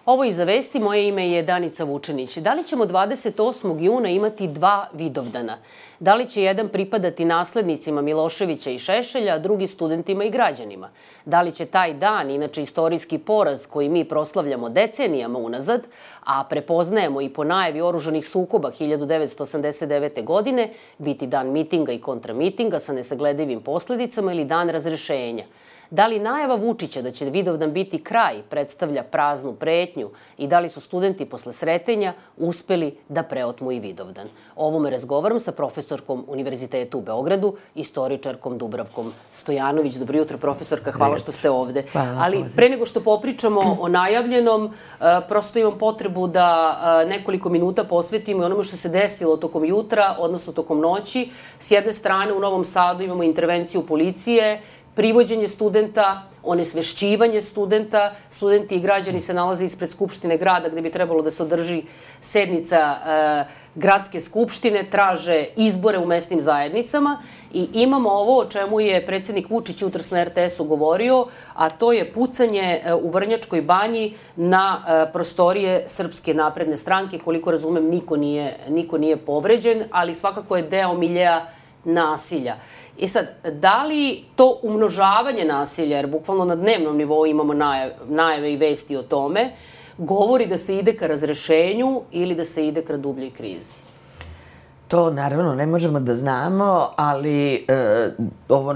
Ovo iza vesti, moje ime je Danica Vučenić. Da li ćemo 28. juna imati 2 Vidovdana? Da li će jedan pripadati naslednicima Miloševića i Šešelja, a drugi studentima i građanima? Da li će taj dan, inače istorijski poraz koji mi proslavljamo decenijama unazad, a prepoznajemo i po najavi oružanih sukoba 1989. godine, biti dan mitinga i kontramitinga sa nesagledivim posledicama ili dan razrešenja? Da li najava Vučića da će Vidovdan biti kraj predstavlja praznu pretnju i da li su studenti posle sretenja uspeli da preotmu i Vidovdan? O ovome razgovaram sa profesorkom Univerziteta u Beogradu, istoričarkom Dubravkom Stojanović. Dobro jutro, profesorka, hvala što ste ovde. Ali pre nego što popričamo o najavljenom, prosto imam potrebu da nekoliko minuta posvetimo i onome što se desilo tokom jutra, odnosno tokom noći. S jedne strane, u Novom Sadu imamo intervenciju policije, privođenje studenta, onesvešćivanje studenta. Studenti i građani se nalaze ispred Skupštine grada gde bi trebalo da se održi sednica gradske skupštine, traže izbore u mesnim zajednicama i imamo ovo o čemu je predsednik Vučić jutros na RTS-u govorio, a to je pucanje u Vrnjačkoj banji na prostorije Srpske napredne stranke. Koliko razumem, niko nije povređen, ali svakako je deo miljea nasilja. I sad, da li to umnožavanje nasilja, jer bukvalno na dnevnom nivou imamo najave i vesti o tome, govori da se ide ka razrešenju ili da se ide ka dubljoj krizi? To naravno ne možemo da znamo, ali ovo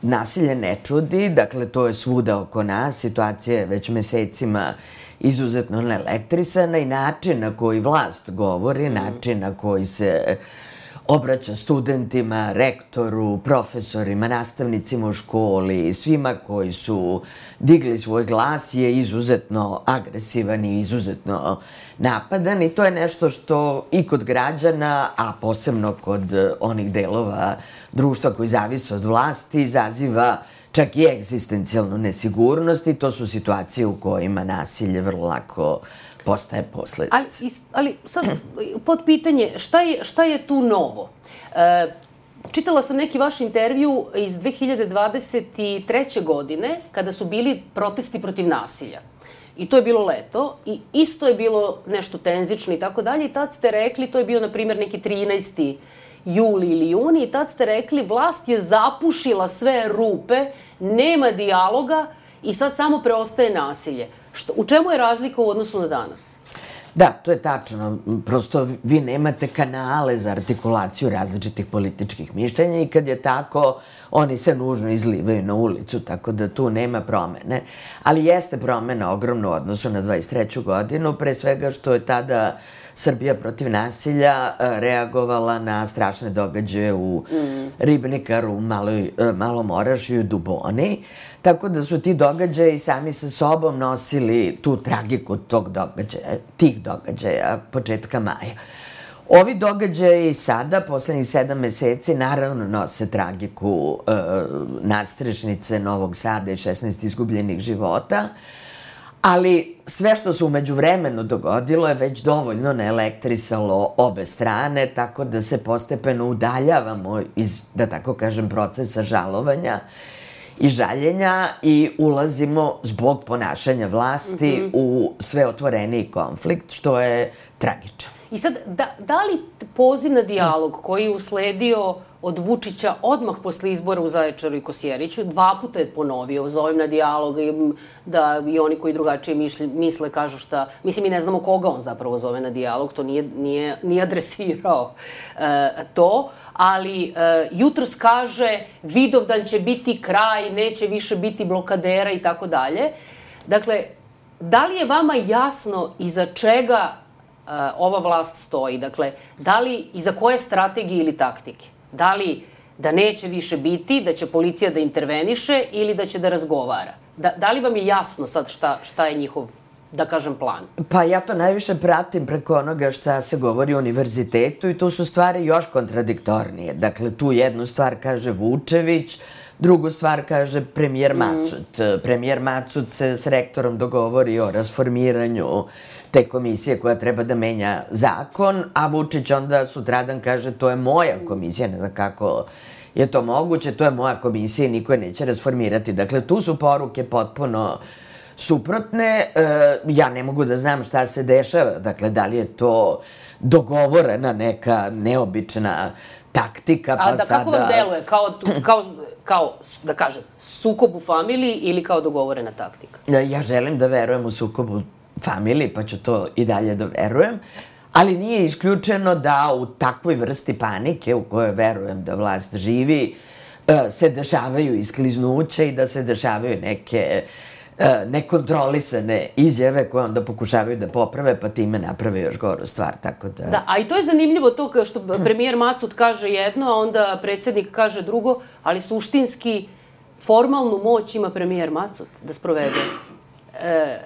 nasilje ne čudi, dakle to je svuda oko nas, situacija je već mesecima izuzetno neelektrisana i način na koji vlast govori, način na koji se obraća studentima, rektoru, profesorima, nastavnicima u školi, svima koji su digli svoj glas je izuzetno agresivan i izuzetno napadan i to je nešto što i kod građana, a posebno kod onih delova društva koji zavise od vlasti, izaziva čak i egzistencijalnu nesigurnost i to su situacije u kojima nasilje vrlo lako postaje posledica. Ali sad, pod pitanje, šta je tu novo? Čitala sam neki vaš intervju iz 2023. godine, kada su bili protesti protiv nasilja. I to je bilo leto i isto je bilo nešto tenzično i tako dalje. I tad ste rekli, to je bio, na primjer, neki 13. juli ili juni, i tad ste rekli, vlast je zapušila sve rupe, nema dijaloga i sad samo preostaje nasilje. U čemu je razlika u odnosu na danas? Da, to je tačno. Prosto vi nemate kanale za artikulaciju različitih političkih mišljenja i kad je tako, oni se nužno izlivaju na ulicu, tako da tu nema promene. Ali jeste promena ogromna u odnosu na 23. godinu, pre svega što je tada Srbija protiv nasilja reagovala na strašne događaje u Ribnikaru, Malom Orašju i Duboni. Tako da su ti događaji sami sa sobom nosili tu tragiku tih događaja početka maja. Ovi događaji sada, poslednjih 7 meseci, naravno nose tragiku nadstrešnice Novog Sada i 16 izgubljenih života, ali sve što se umeđu vremenu dogodilo je već dovoljno naelektrisalo obe strane, tako da se postepeno udaljavamo iz, da tako kažem, procesa žalovanja i žaljenja i ulazimo zbog ponašanja vlasti u sve otvoreniji konflikt, što je tragično. I sad, da li poziv na dijalog koji je usledio od Vučića odmah posle izbora u Zaječaru i Kosjeriću, 2 puta je ponovio, zovem na dijalog, da i oni koji drugačije misle kažu šta, mislim, mi ne znamo koga on zapravo zove na dijalog, to nije adresirao to, ali jutros kaže Vidovdan će biti kraj, neće više biti blokadera i tako dalje. Dakle, da li je vama jasno iza čega ova vlast stoji? Dakle, da li iza koje strategije ili taktike? Da li da neće više biti, da će policija da interveniše ili da će da razgovara? Da li vam je jasno sad šta je njihov, da kažem, plan? Pa ja to najviše pratim preko onoga šta se govori o univerzitetu i tu su stvari još kontradiktornije. Dakle, tu jednu stvar kaže Vučević, drugu stvar kaže premijer Macut. Premijer Macut se s rektorom dogovori o rasformiranju te komisije koja treba da menja zakon, a Vučić onda sutradan kaže to je moja komisija, ne znam kako je to moguće, to je moja komisija i niko je neće rasformirati. Dakle, tu su poruke potpuno suprotne. Ja ne mogu da znam šta se dešava, dakle, da li je to dogovorena neka neobična taktika, pa sada... Kako vam deluje? Kao, da kažem, sukob u familiji ili kao dogovorena taktika? Ja želim da verujem u sukob u familiji, pa ću to i dalje da verujem, ali nije isključeno da u takvoj vrsti panike u kojoj verujem da vlast živi se dešavaju iskliznuće i da se dešavaju neke nekontrolisane izjave koje onda pokušavaju da poprave, pa time naprave još goru stvar, tako da... Da, a i to je zanimljivo to što premijer Macut kaže jedno, a onda predsjednik kaže drugo, ali suštinski formalnu moć ima premijer Macut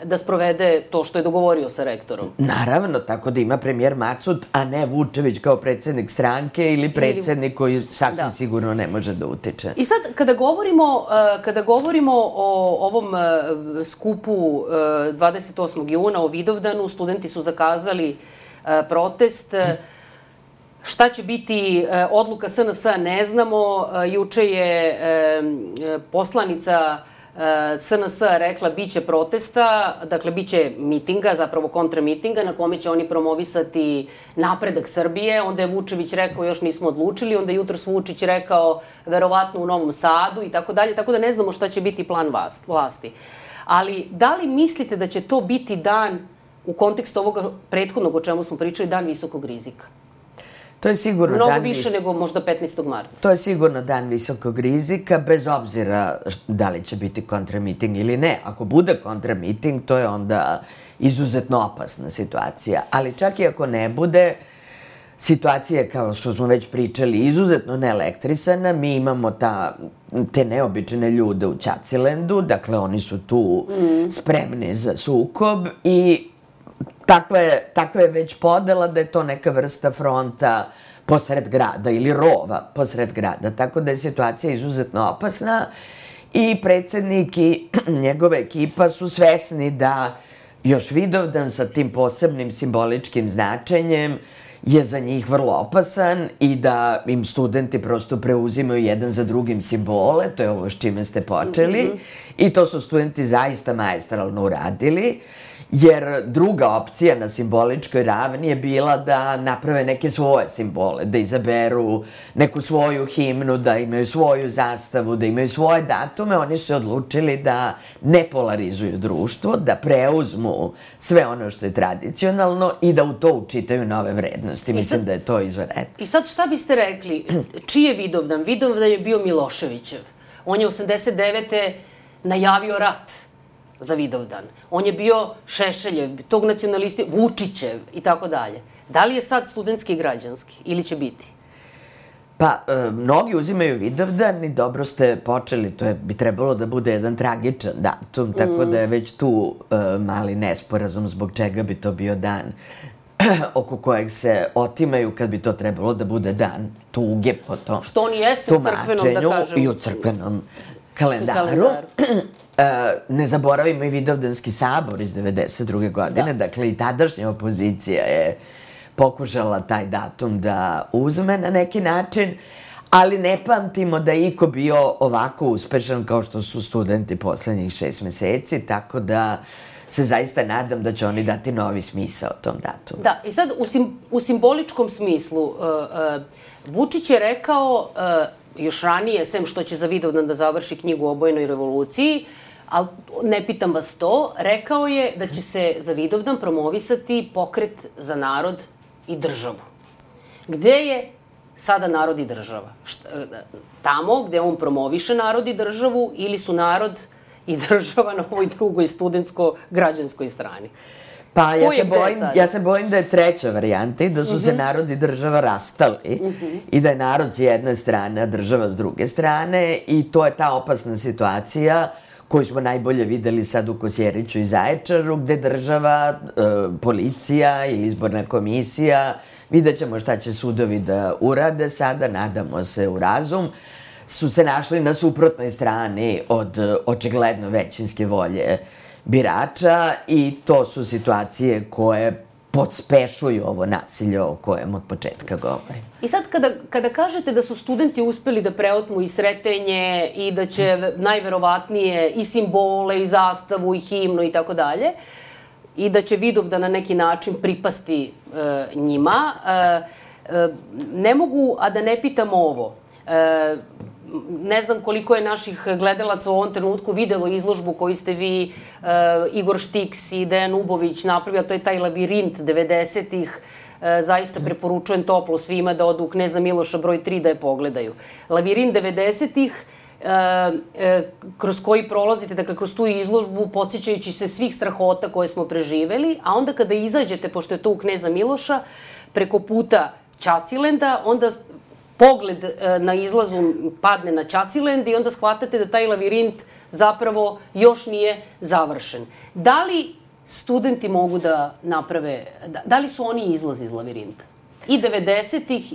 da sprovede to što je dogovorio sa rektorom. Naravno, tako da ima premijer Macut, a ne Vučević kao predsjednik stranke ili predsjednik koji sasvim sigurno ne može da utiče. I sad, kada govorimo o ovom skupu 28. juna, o Vidovdanu, studenti su zakazali protest. Šta će biti odluka SNS-a, ne znamo. Juče je poslanica SNS-a rekla biće protesta, dakle biće mitinga, zapravo kontramitinga na kome će oni promovisati napredak Srbije. Onda je Vučević rekao još nismo odlučili, onda je jutros Vučić rekao verovatno u Novom Sadu i tako dalje, tako da ne znamo šta će biti plan vlasti. Ali da li mislite da će to biti dan u kontekstu ovoga prethodnog o čemu smo pričali, dan visokog rizika? To je sigurno mnogo više nego možda 15. marta. To je sigurno dan visokog rizika, bez obzira da li će biti kontramiting ili ne. Ako bude kontramiting, to je onda izuzetno opasna situacija. Ali čak i ako ne bude, situacija je, kao što smo već pričali, izuzetno neelektrisana. Mi imamo te neobične ljude u Ćacilendu, dakle oni su tu spremni za sukob i takva je već podela da je to neka vrsta fronta posred grada ili rova posred grada, tako da je situacija izuzetno opasna i predsjednik i njegova ekipa su svesni da još Vidovdan sa tim posebnim simboličkim značenjem je za njih vrlo opasan i da im studenti prosto preuzimaju jedan za drugim simbole, to je ovo s čime ste počeli, i to su studenti zaista maestralno uradili. Jer druga opcija na simboličkoj ravni je bila da naprave neke svoje simbole, da izaberu neku svoju himnu, da imaju svoju zastavu, da imaju svoje datume. Oni su odlučili da ne polarizuju društvo, da preuzmu sve ono što je tradicionalno i da u to učitaju nove vrednosti. Mislim da je to izvanredno. I sad šta biste rekli? Čiji je Vidovdan? Vidovdan je bio Miloševićev. On je 89. najavio rat za Vidovdan. On je bio Šešeljev, tog nacionalisti, Vučićev i tako dalje. Da li je sad studentski i građanski ili će biti? Pa, mnogi uzimaju Vidovdan i dobro ste počeli, bi trebalo da bude jedan tragičan datum, tako da je već tu mali nesporazum zbog čega bi to bio dan oko kojeg se otimaju kad bi to trebalo da bude dan tuge po tom što on jeste u crkvenom, da kažem. I u crkvenom kalendaru. Ne zaboravimo i Vidovdanski sabor iz 92. godine, dakle i tadašnja opozicija je pokušala taj datum da uzme na neki način, ali ne pamtimo da je iko bio ovako uspešan kao što su studenti poslednjih 6 meseci, tako da se zaista nadam da će oni dati novi smisao tom datumu. Da, i sad u simboličkom smislu, Vučić je rekao još ranije, sem što će za Vidovdan da završi knjigu o obojnoj revoluciji, ali ne pitam vas to, rekao je da će se za Vidovdan promovisati pokret za narod i državu. Gde je sada narod i država? Tamo gde on promoviše narod i državu ili su narod i država na ovoj drugoj studentsko-građanskoj strani? Pa ja se bojim da je treća varijanta i da su se narod i država rastali i da je narod s jedne strane, a država s druge strane i to je ta opasna situacija koju smo najbolje videli sad u Kosjeriću i Zaječaru, gde država, policija ili izborna komisija, vidjet ćemo šta će sudovi da urade sada, nadamo se u razum, su se našli na suprotnoj strani od očigledno većinske volje birača i to su situacije koje podspešuju ovo nasilje o kojem od početka govorim. I sad kada kažete da su studenti uspeli da preotmu i Sretenje i da će najverovatnije i simbole i zastavu i himnu i tako dalje, i da će Vidovdan na neki način pripasti njima, ne mogu a da ne pitam ovo. Ne znam koliko je naših gledalaca u ovom trenutku videlo izložbu koju ste vi, Igor Štiks i Dejan Ubović napravili, a to je taj labirint 90-ih. Zaista preporučujem toplo svima da odu u Kneza Miloša broj 3 da je pogledaju. Labirint 90-ih, kroz koji prolazite, dakle kroz tu izložbu, podsjećajući se svih strahota koje smo preživeli, a onda kada izađete, pošto je to u Kneza Miloša, preko puta Ćacilenda, onda pogled na izlazu padne na Ćacilend i onda shvatate da taj labirint zapravo još nije završen. Da li studenti mogu da naprave, da li su oni izlaz iz lavirinta? I 90-ih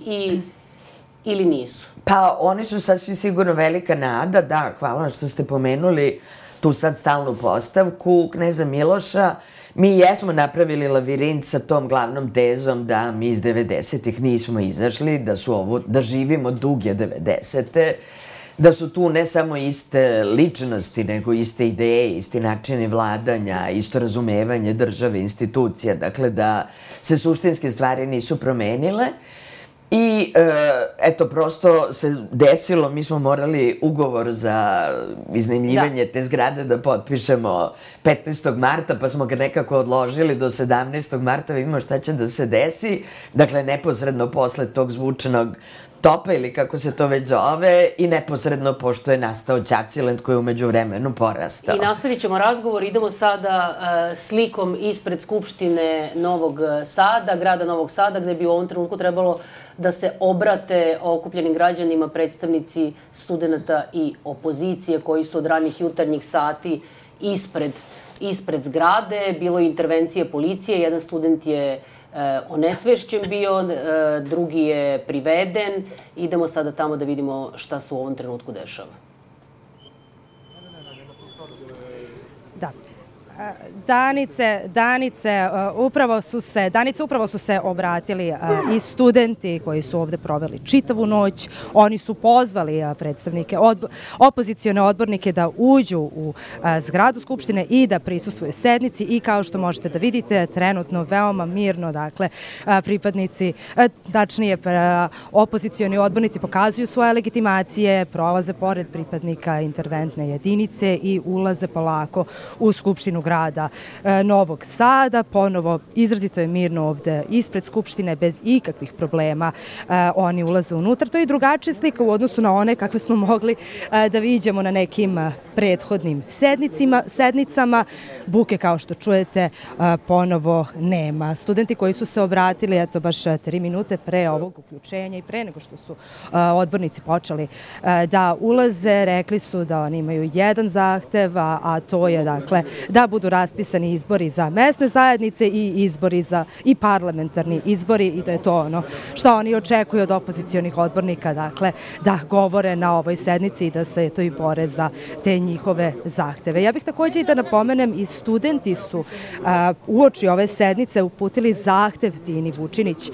ili nisu? Pa oni su sasvim sigurno velika nada, da, hvala što ste pomenuli tu sad stalnu postavku Kneza Miloša. Mi jesmo napravili lavirint sa tom glavnom tezom da mi iz 90-ih nismo izašli, da živimo duge 90-te, da su tu ne samo iste ličnosti, nego iste ideje, isti načini vladanja, isto razumevanje države, institucija, dakle da se suštinske stvari nisu promenile. I, eto, prosto se desilo, mi smo morali ugovor za iznajmljivanje te zgrade da potpišemo 15. marta, pa smo ga nekako odložili do 17. marta, vidimo šta će da se desi. Dakle, neposredno posle tog zvučanog topa ili kako se to već zove i neposredno pošto je nastao Ćacilend koji je umeđu vremenu porastao. I nastavit ćemo razgovor, idemo sada slikom ispred Skupštine Novog Sada, grada Novog Sada, gde bi u ovom trenutku trebalo da se obrate okupljenim građanima predstavnici studenta i opozicije koji su od ranih jutarnjih sati ispred zgrade. Bilo je intervencije policije, jedan student je onesvešćen bio, drugi je priveden. Idemo sada tamo da vidimo šta se u ovom trenutku dešava. Da. Danice upravo su se obratili i studenti koji su ovde proveli čitavu noć. Oni su pozvali predstavnike, opozicione odbornike da uđu u zgradu Skupštine i da prisustvuju sednici i kao što možete da vidite, trenutno veoma mirno, dakle, pripadnici, tačnije opozicioni odbornici pokazuju svoje legitimacije, prolaze pored pripadnika interventne jedinice i ulaze polako u Skupštinu grada Novog Sada. Ponovo, izrazito je mirno ovde ispred Skupštine, bez ikakvih problema oni ulaze unutra. To je drugačija slika u odnosu na one kakve smo mogli da viđemo na nekim prethodnim sednicama. Buke, kao što čujete, ponovo nema. Studenti koji su se obratili, eto, baš 3 minute pre ovog uključenja i pre nego što su odbornici počeli da ulaze, rekli su da oni imaju jedan zahtev, a to je, dakle, da budu raspisani izbori za mesne zajednice i parlamentarni izbori i da je to ono što oni očekuju od opozicionih odbornika, dakle, da govore na ovoj sednici i da se to i bore za te njihove zahteve. Ja bih takođe i da napomenem, i studenti su uoči ove sednice uputili zahtev Tini Vučinić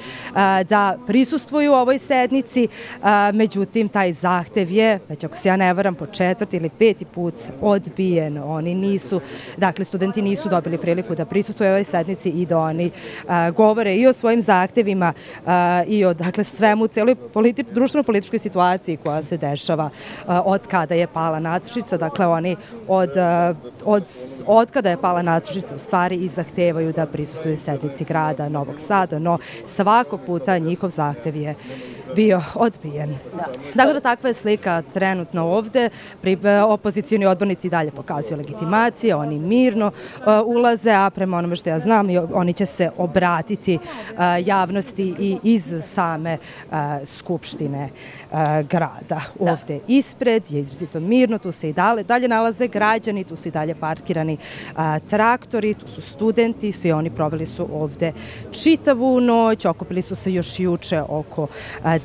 da prisustvuju ovoj sednici, međutim, taj zahtev je, već ako se ja ne varam, po 4. ili 5. put odbijen. Oni nisu, dakle, studenti nisu dobili priliku da prisustvuju ovoj sednici i da oni govore i o svojim zahtevima i o, dakle, svemu, celoj društveno-političkoj situaciji koja se dešava od kada je pala nacrtnica. Dakle, oni od kada je pala nacrtnica u stvari i zahtevaju da prisustvuju sednici grada Novog Sada, no svakog puta njihov zahtev je bio odbijen. Dakle, da takva je slika trenutno ovde. Opozicioni odbornici dalje pokazuju legitimacije, oni mirno ulaze, a prema onome što ja znam, oni će se obratiti javnosti i iz same Skupštine grada. Ovde ispred je izrazito mirno, tu se i dalje nalaze građani, tu su i dalje parkirani traktori, tu su studenti, svi oni proveli su ovde čitavu noć, okupili su se još juče oko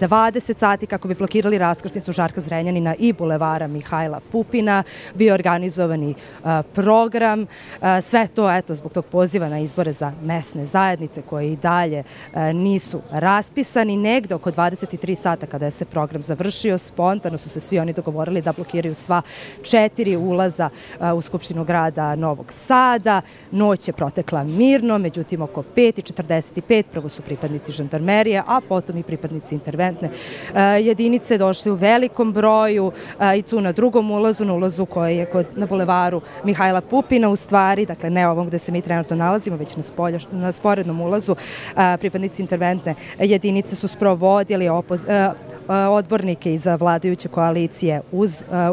20 sati kako bi blokirali raskrsnicu Žarka Zrenjanina i bulevara Mihajla Pupina. Bio organizovani program. Sve to, eto, zbog tog poziva na izbore za mesne zajednice koje i dalje nisu raspisani. Negde oko 23 sata kada je se program završio, spontano su se svi oni dogovorili da blokiraju sva 4 ulaza u Skupštinu grada Novog Sada. Noć je protekla mirno, međutim oko 5:45 prvo su pripadnici žandarmerije, a potom i pripadnici interventne jedinice došli u velikom broju i tu na drugom ulazu, na ulazu koji je na bulevaru Mihajla Pupina u stvari, dakle ne ovom gde se mi trenutno nalazimo, već na sporednom ulazu, pripadnici interventne jedinice su sprovodili odbornike iz vladajuće koalicije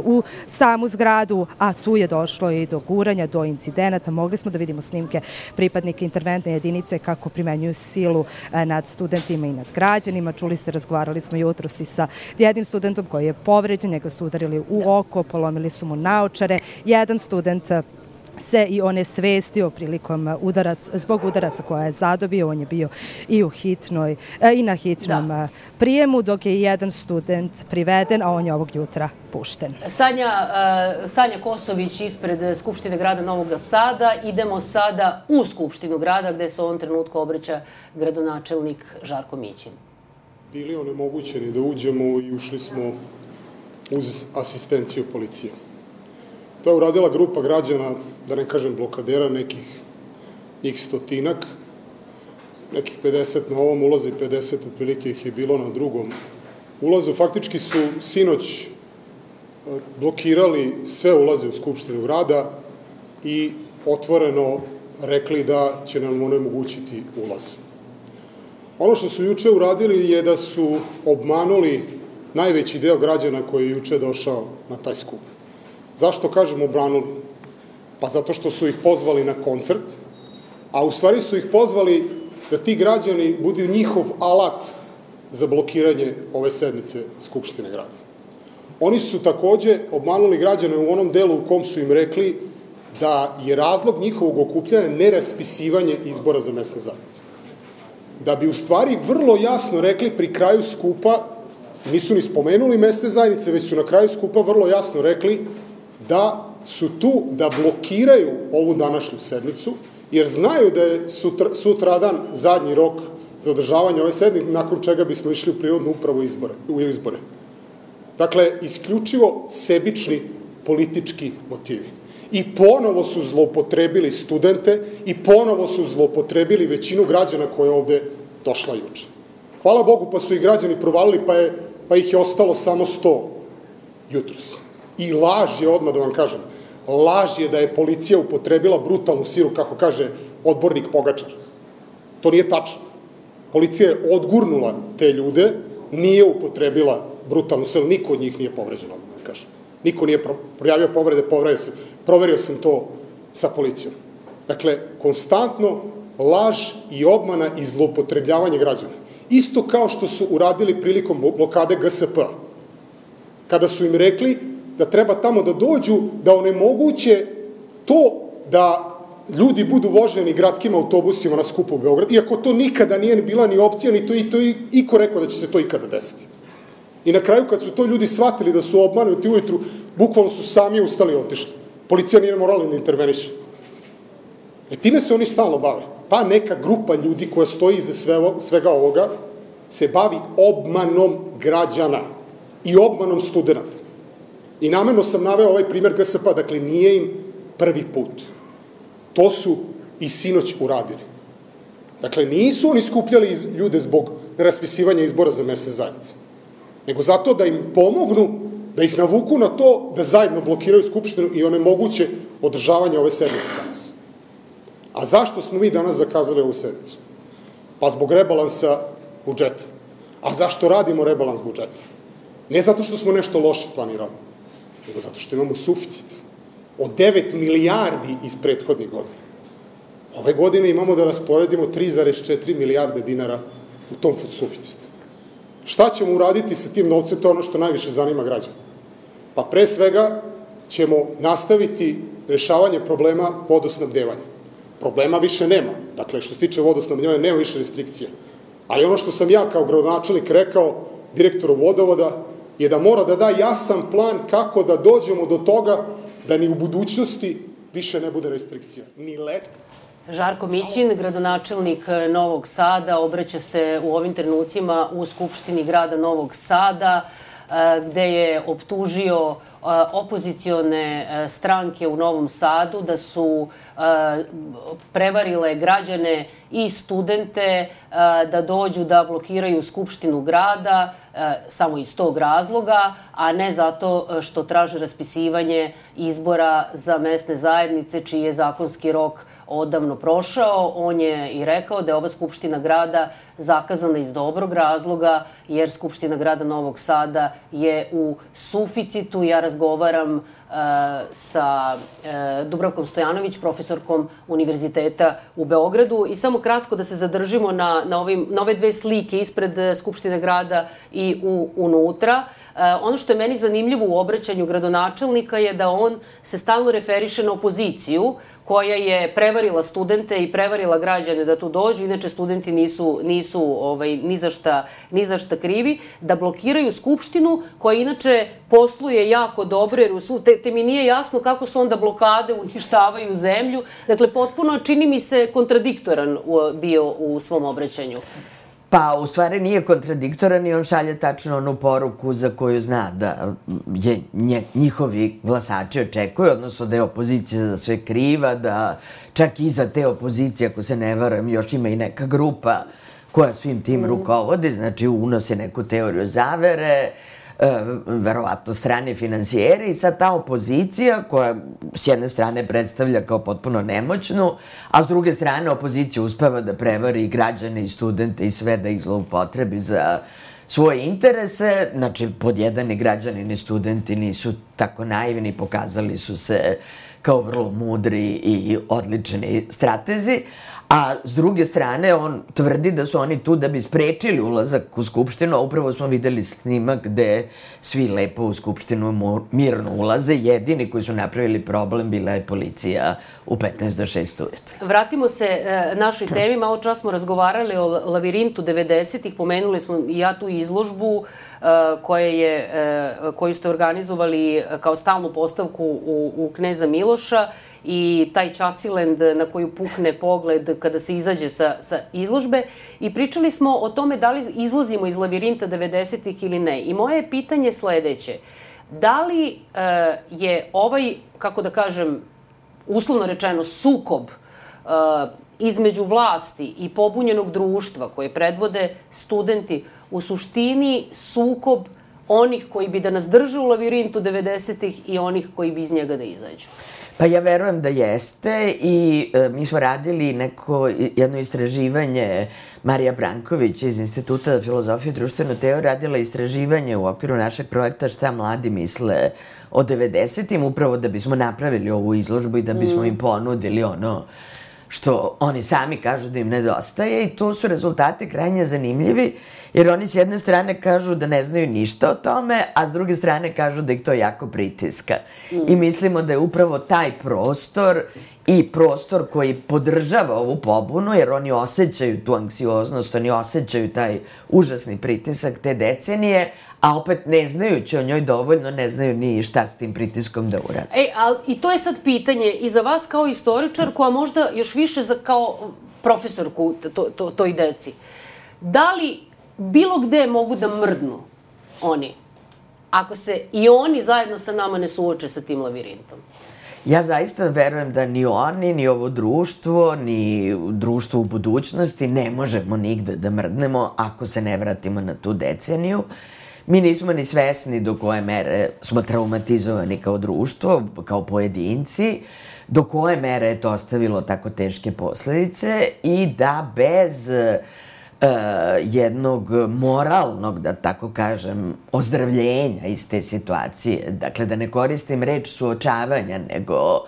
u samu zgradu, a tu je došlo i do guranja, do incidenata. Mogli smo da vidimo snimke pripadnika interventne jedinice kako primenjuju silu nad studentima i nad građanima. Čuli ste, razgovarali smo jutros i sa jednim studentom koji je povređen, njega su udarili u oko, polomili su mu naočare. Jedan student se i onesvestio prilikom zbog udaraca koja je zadobio. On je bio i na hitnom prijemu, dok je jedan student priveden, a on je ovog jutra pušten. Sanja Kosović ispred Skupštine grada Novog Sada. Idemo sada u Skupštinu grada gde se u ovom trenutku obraća gradonačelnik Žarko Mićin. Bili onemogućeni da uđemo i ušli smo uz asistenciju policije. To je uradila grupa građana, da ne kažem blokadera, nekih stotinak, nekih 50 na ovom ulazu i 50 otprilike ih je bilo na drugom ulazu. Faktički su sinoć blokirali sve ulaze u Skupštinu grada i otvoreno rekli da će nam onemogućiti ulaz. Ono što su juče uradili je da su obmanuli najveći deo građana koji je juče došao na taj skup. Zašto kažem obranuli? Pa zato što su ih pozvali na koncert, a u stvari su ih pozvali da ti građani budu njihov alat za blokiranje ove sednice Skupštine grada. Oni su takođe obmanuli građane u onom delu u kom su im rekli da je razlog njihovog okupljanja neraspisivanje izbora za mesne zajednice. Da bi u stvari vrlo jasno rekli pri kraju skupa, nisu ni spomenuli mesne zajednice, već su na kraju skupa vrlo jasno rekli da su tu da blokiraju ovu današnju sednicu, jer znaju da je sutradan zadnji rok za održavanje ove sednice, nakon čega bismo išli u prirodnu upravu u izbore. Dakle, isključivo sebični politički motivi. I ponovo su zloupotrebili studente i ponovo su zloupotrebili većinu građana koja je ovde došla juče. Hvala Bogu, pa su i građani provalili, pa ih je ostalo samo 100 jutros. I laž je, odmah da vam kažem, laž je da je policija upotrebila brutalnu silu, kako kaže odbornik Pogačar. To nije tačno. Policija je odgurnula te ljude, nije upotrebila brutalnu silu, niko od njih nije povređen, odmah da kažem. Niko nije projavio povrede, proverio sam to sa policijom. Dakle, konstantno laž i obmana i zloupotrebljavanje građana. Isto kao što su uradili prilikom blokade GSP-a. Kada su im rekli da treba tamo da dođu, da onemoguće to da ljudi budu voženi gradskim autobusima na skupu u Beograd, iako to nikada nije bila ni opcija, ni to iko rekao da će se to ikada desiti. I na kraju, kad su to ljudi shvatili da su obmanuti ujutru, bukvalno su sami ustali i otišli. Policija nije morala da interveniše. Time se oni stalno bave. Ta neka grupa ljudi koja stoji iza svega ovoga se bavi obmanom građana i obmanom studenta. I namerno sam naveo ovaj primer GSP-a, dakle nije im prvi put. To su i sinoć uradili. Dakle, nisu oni skupljali ljude zbog raspisivanja izbora za mesne zajednice, nego zato da im pomognu, da ih navuku na to da zajedno blokiraju Skupštinu i onemoguće održavanje ove sednice danas. A zašto smo mi danas zakazali ovu sednicu? Pa zbog rebalansa budžeta. A zašto radimo rebalans budžeta? Ne zato što smo nešto loše planirali, nego zato što imamo suficit od 9 milijardi iz prethodnih godina. Ove godine imamo da rasporedimo 3,4 milijarde dinara u tom suficitu. Šta ćemo uraditi sa tim novcem, to je ono što najviše zanima građana. Pa pre svega ćemo nastaviti rešavanje problema vodosnabdevanja. Problema više nema. Dakle, što se tiče vodosnabdevanja, nema više restrikcija. Ali ono što sam ja kao gradonačelnik rekao, direktoru vodovoda je da mora da da jasan plan kako da dođemo do toga da ni u budućnosti više ne bude restrikcija. Ni let. Žarko Mićin, gradonačelnik Novog Sada, obraća se u ovim trenucima u Skupštini grada Novog Sada, gde je optužio opozicione stranke u Novom Sadu da su prevarile građane i studente da dođu da blokiraju Skupštinu grada samo iz tog razloga, a ne zato što traže raspisivanje izbora za mesne zajednice čiji je zakonski rok odavno prošao. On je i rekao da je ova Skupština grada zakazana iz dobrog razloga, jer Skupština grada Novog Sada je u suficitu. Ja razgovaram sa Dubravkom Stojanović, profesorkom Univerziteta u Beogradu. I samo kratko da se zadržimo na ove dve slike ispred Skupštine grada i unutra. Ono što je meni zanimljivo u obraćanju gradonačelnika je da on se stalno referiše na opoziciju koja je prevarila studente i prevarila građane da tu dođu. Inače, studenti nisu ni za šta krivi. Da blokiraju Skupštinu koja inače posluje jako dobro, jer te mi nije jasno kako su onda blokade uništavaju zemlju. Dakle, potpuno čini mi se kontradiktoran bio u svom obraćanju. Pa, u stvari nije kontradiktoran i on šalje tačno onu poruku za koju zna da je njihovi glasači očekuju, odnosno da je opozicija za sve kriva, da čak iza te opozicije, ako se ne varam, još ima i neka grupa koja svim tim rukovodi, znači unosi neku teoriju zavere, verovatno strane finansijere i sad ta opozicija koja s jedne strane predstavlja kao potpuno nemoćnu, a s druge strane opozicija uspeva da prevari i građane i studente i sve da ih zloupotrebi za svoje interese. Znači, pod jedan i građani ni studenti nisu tako naivni, pokazali su se kao vrlo mudri i odlični stratezi, a s druge strane on tvrdi da su oni tu da bi sprečili ulazak u Skupštinu, a upravo smo videli snimak gde svi lepo u Skupštinu mirno ulaze. Jedini koji su napravili problem bila je policija u 15 do 6 ujutru. Vratimo se našoj temi. Malo čas smo razgovarali o lavirintu 90-ih. Pomenuli smo i ja tu izložbu koju ste organizovali kao stalnu postavku u Kneza Miloša i taj Čacilend na koju pukne pogled kada se izađe sa izložbe. I pričali smo o tome da li izlazimo iz lavirinta 90-ih ili ne. I moje pitanje je sledeće. Da li je ovaj, kako da kažem, uslovno rečeno, sukob između vlasti i pobunjenog društva koje predvode studenti u suštini sukob onih koji bi da nas drže u lavirintu 90-ih i onih koji bi iz njega da izađu? Pa ja verujem da jeste i mi smo radili jedno istraživanje, Marija Branković iz Instituta za filozofiju i društvenu teoriju radila istraživanje u okviru našeg projekta Šta mladi misle o 90-im, upravo da bismo napravili ovu izložbu i da bismo im ponudili ono što oni sami kažu da im nedostaje i to su rezultati krajnje zanimljivi, jer oni s jedne strane kažu da ne znaju ništa o tome, a s druge strane kažu da ih to jako pritiska. I mislimo da je upravo taj prostor i prostor koji podržava ovu pobunu, jer oni osjećaju tu anksioznost, oni osjećaju taj užasni pritisak te decenije, a opet ne znajući o njoj dovoljno, ne znaju ni šta s tim pritiskom da urade. I to je sad pitanje i za vas kao istoričarku, a možda još više kao profesorku toj deci. Da li bilo gde mogu da mrdnu oni, ako se i oni zajedno sa nama ne suoče sa tim lavirintom? Ja zaista verujem da ni oni, ni ovo društvo, ni društvo u budućnosti ne možemo nigde da mrdnemo ako se ne vratimo na tu deceniju. Mi nismo ni svesni do koje mere smo traumatizovani kao društvo, kao pojedinci, do koje mere je to ostavilo tako teške posledice i da bez jednog moralnog, da tako kažem, ozdravljenja iz te situacije, dakle da ne koristim reč suočavanja, nego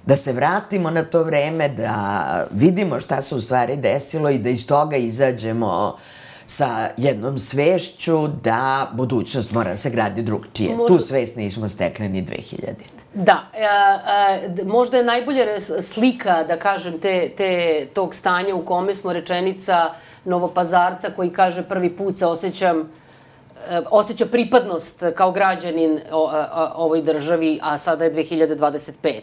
da se vratimo na to vreme, da vidimo šta se u stvari desilo i da iz toga izađemo sa jednom svešću da budućnost mora da se gradi drugčije. Tu svest nismo stekli ni 2000. Da, možda je najbolja slika, da kažem, tog stanja u kome smo rečenica Novopazarca koji kaže prvi put se osjećam osjeća pripadnost kao građanin ovoj državi, a sada je 2025.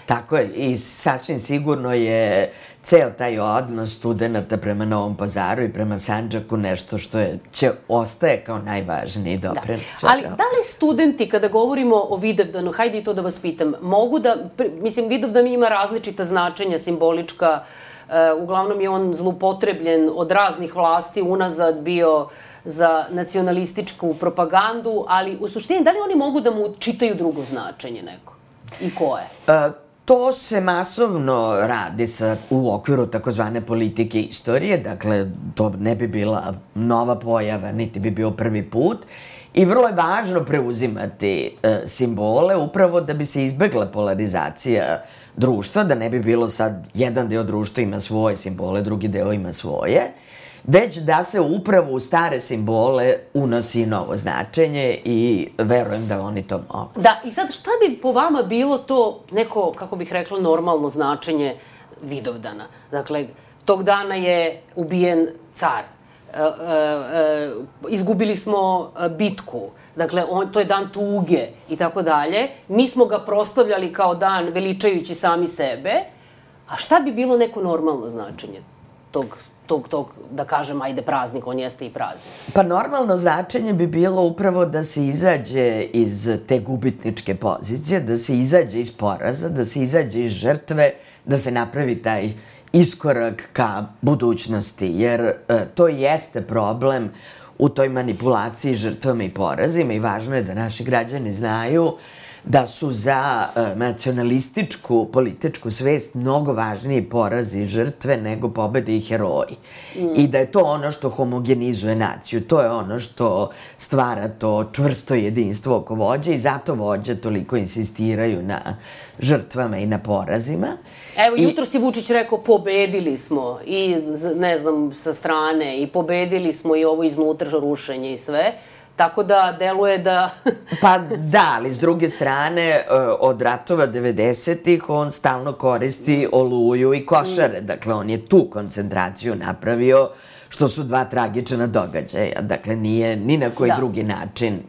Tako je, i sasvim sigurno je ceo taj odnos studenta prema Novom Pazaru i prema Sandžaku nešto što ostaje kao najvažniji doprinos svega. Ali da li studenti, kada govorimo o Vidovdanu, hajde i to da vas pitam, mogu da, mislim, Vidovdan ima različita značenja, simbolička, uglavnom je on zloupotrebljen od raznih vlasti, unazad bio za nacionalističku propagandu, ali u suštini, da li oni mogu da mu čitaju drugo značenje neko? I koje? To se masovno radi u okviru takozvane politike istorije, dakle, to ne bi bila nova pojava, niti bi bio prvi put. I vrlo je važno preuzimati simbole upravo da bi se izbegla polarizacija društva, da ne bi bilo sad jedan deo društva ima svoje simbole, drugi deo ima svoje, već da se upravo u stare simbole unosi novo značenje i verujem da oni to mogu. Da, i sad šta bi po vama bilo to neko, kako bih rekla, normalno značenje Vidovdana? Dakle, tog dana je ubijen car, izgubili smo bitku, dakle, to je dan tuge i tako dalje. Mi smo ga proslavljali kao dan veličajući sami sebe, a šta bi bilo neko normalno značenje tog, da kažem, ajde, praznik, on jeste i praznik? Pa normalno značenje bi bilo upravo da se izađe iz te gubitničke pozicije, da se izađe iz poraza, da se izađe iz žrtve, da se napravi taj iskorak ka budućnosti, jer to jeste problem u toj manipulaciji žrtvama i porazima i važno je da naši građani znaju da su za nacionalističku političku svest mnogo važniji porazi i žrtve nego pobede i heroji. I da je to ono što homogenizuje naciju, to je ono što stvara to čvrsto jedinstvo oko vođe i zato vođe toliko insistiraju na žrtvama i na porazima. Evo, jutro si Vučić rekao, pobedili smo i, ne znam, sa strane, i pobedili smo i ovo iznutra rušenje i sve. Tako da deluje da... Pa da, ali s druge strane, od ratova 90-ih on stalno koristi Oluju i Košare. Dakle, on je tu koncentraciju napravio, što su dva tragična događaja. Dakle, nije ni na koji drugi način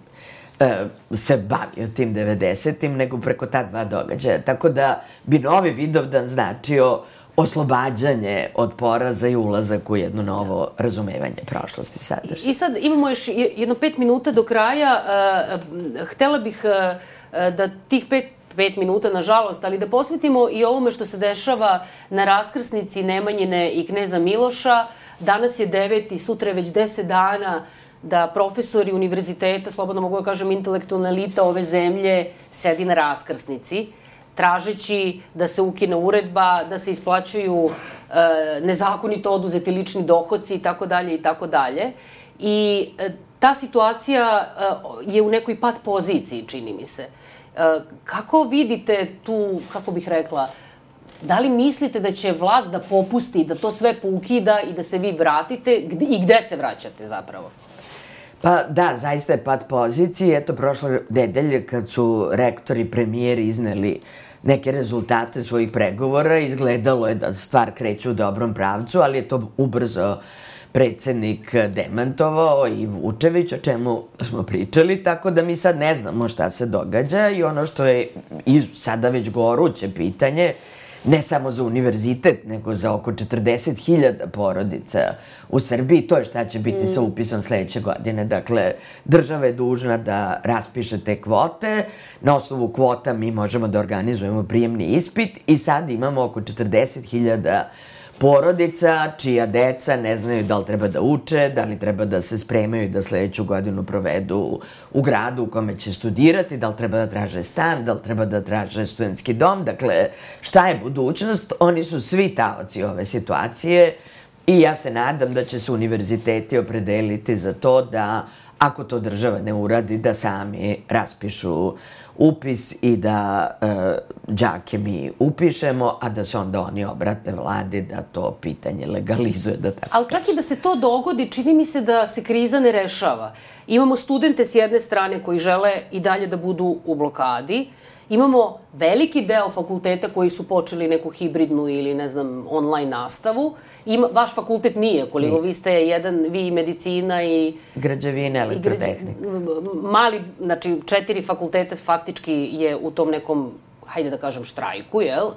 se bavio tim 90-im, nego preko ta dva događaja. Tako da bi novi Vidovdan značio oslobađanje od poraza i ulazak u jedno novo razumevanje prošlosti sadašnje. I sad imamo još jedno 5 minuta do kraja. Htela bih da tih 5 minuta, nažalost, ali da posvetimo i ovome što se dešava na raskrsnici Nemanjine i kneza Miloša. Danas je 9. sutra je već 10 dana da profesori univerziteta, slobodno mogu da kažem intelektualna elita ove zemlje, sedi na raskrsnici, tražeći da se ukine uredba, da se isplaćuju nezakonito oduzeti lični dohoci i tako dalje i tako dalje. I ta situacija je u nekoj pat poziciji, čini mi se. Kako vidite tu, kako bih rekla, da li mislite da će vlast da popusti, da to sve poukida i da se vi vratite i gde se vraćate zapravo? Pa da, zaista je pad pozicije. Eto, prošle nedelje kad su rektori i premijeri izneli neke rezultate svojih pregovora, izgledalo je da stvar kreće u dobrom pravcu, ali je to ubrzo predsednik demantovao i Vučević, o čemu smo pričali, tako da mi sad ne znamo šta se događa i ono što je sada već goruće pitanje, ne samo za univerzitet, nego za oko 40.000 porodica u Srbiji. To je šta će biti sa upisom sledeće godine. Dakle, država je dužna da raspiše te kvote. Na osnovu kvota mi možemo da organizujemo prijemni ispit i sad imamo oko 40.000 porodica čija deca ne znaju da li treba da uče, da li treba da se spremaju da sledeću godinu provedu u gradu u kome će studirati, da li treba da traže stan, da li treba da traže studentski dom. Dakle, šta je budućnost? Oni su svi taoci ove situacije i ja se nadam da će se univerziteti opredeliti za to da, ako to država ne uradi, da sami raspišu upis i da đake mi upišemo, a da se onda oni obrate vladi da to pitanje legalizuje, da tako. Ali čak i da se to dogodi, čini mi se da se kriza ne rešava. Imamo studente s jedne strane koji žele i dalje da budu u blokadi Imamo veliki deo fakulteta koji su počeli neku hibridnu ili, ne znam, online nastavu. Vaš fakultet nije, koliko vi ste vi medicina i... Građevina, elektrotehnika. Mali, znači 4 fakulteta faktički je u tom nekom, hajde da kažem, štrajku, jel,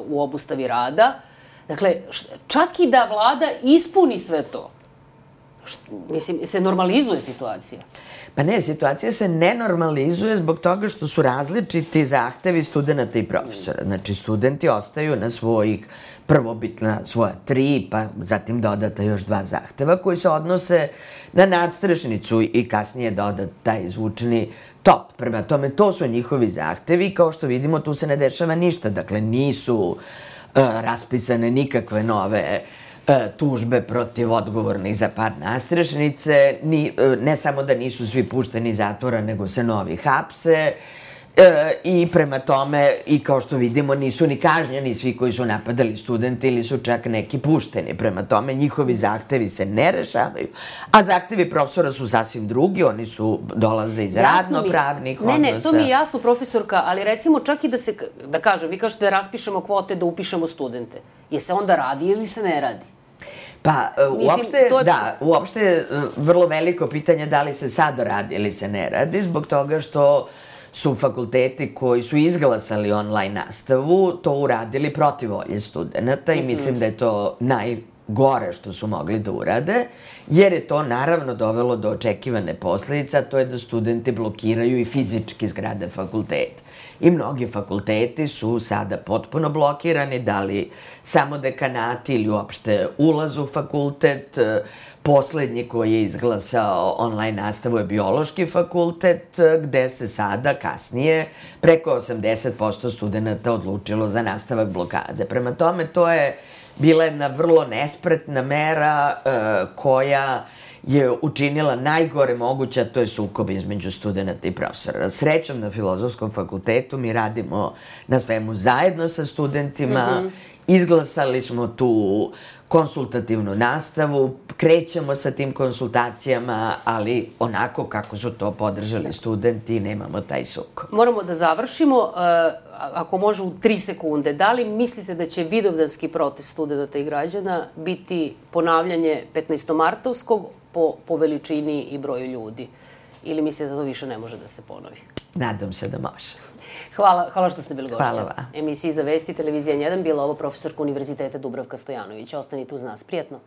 u obustavi rada. Dakle, čak i da vlada ispuni sve to, mislim, se normalizuje situacija. Pa ne, situacija se ne normalizuje zbog toga što su različiti zahtevi studenta i profesora. Znači, studenti ostaju na svojih prvobitna svoja 3, pa zatim dodata još 2 zahteva koji se odnose na nadstrešnicu i kasnije dodat taj izvučeni top. Prema tome, to su njihovi zahtevi i kao što vidimo, tu se ne dešava ništa. Dakle, nisu raspisane nikakve nove tužbe protiv odgovornih za pad nadstrešnice, ne samo da nisu svi pušteni iz zatvora, nego se novi hapse i prema tome, i kao što vidimo, nisu ni kažnjeni svi koji su napadali studente ili su čak neki pušteni. Prema tome, njihovi zahtevi se ne rešavaju, a zahtevi profesora su sasvim drugi, oni dolaze iz radno-pravnih odnosa. Ne, to mi je jasno, profesorka, ali recimo čak i da kažem, vi kažete da raspišemo kvote, da upišemo studente. Je se onda radi ili se ne radi? Pa, uopšte je vrlo veliko pitanje da li se sad radi ili se ne radi, zbog toga što su fakulteti koji su izglasali online nastavu to uradili protiv volje studenta i mislim da je to najgore što su mogli da urade, jer je to naravno dovelo do očekivane posledice, a to je da studenti blokiraju i fizički zgrade fakulteta. I mnogi fakulteti su sada potpuno blokirani, da li samo dekanati ili uopšte ulaz u fakultet. Poslednji koji je izglasao online nastavu je biološki fakultet, gde se sada kasnije preko 80% studenta odlučilo za nastavak blokade. Prema tome, to je bila jedna vrlo nespretna mera koja je učinila najgore moguće, a to je sukob između studenta i profesora. Srećom, na Filozofskom fakultetu mi radimo na svemu zajedno sa studentima, izglasali smo tu konsultativnu nastavu, krećemo sa tim konsultacijama, ali onako kako su to podržali studenti, nemamo taj sukob. Moramo da završimo, ako može u 3 sekunde. Da li mislite da će vidovdanski protest studenta i građana biti ponavljanje 15-martovskog po veličini i broju ljudi? Ili mislite da to više ne može da se ponovi? Nadam se da može. Hvala što ste bili gošća. Hvala vam. Emisiji Za vesti, televizija N1, bila ovo profesorka Univerziteta Dubravka Stojanović. Ostanite uz nas. Prijetno.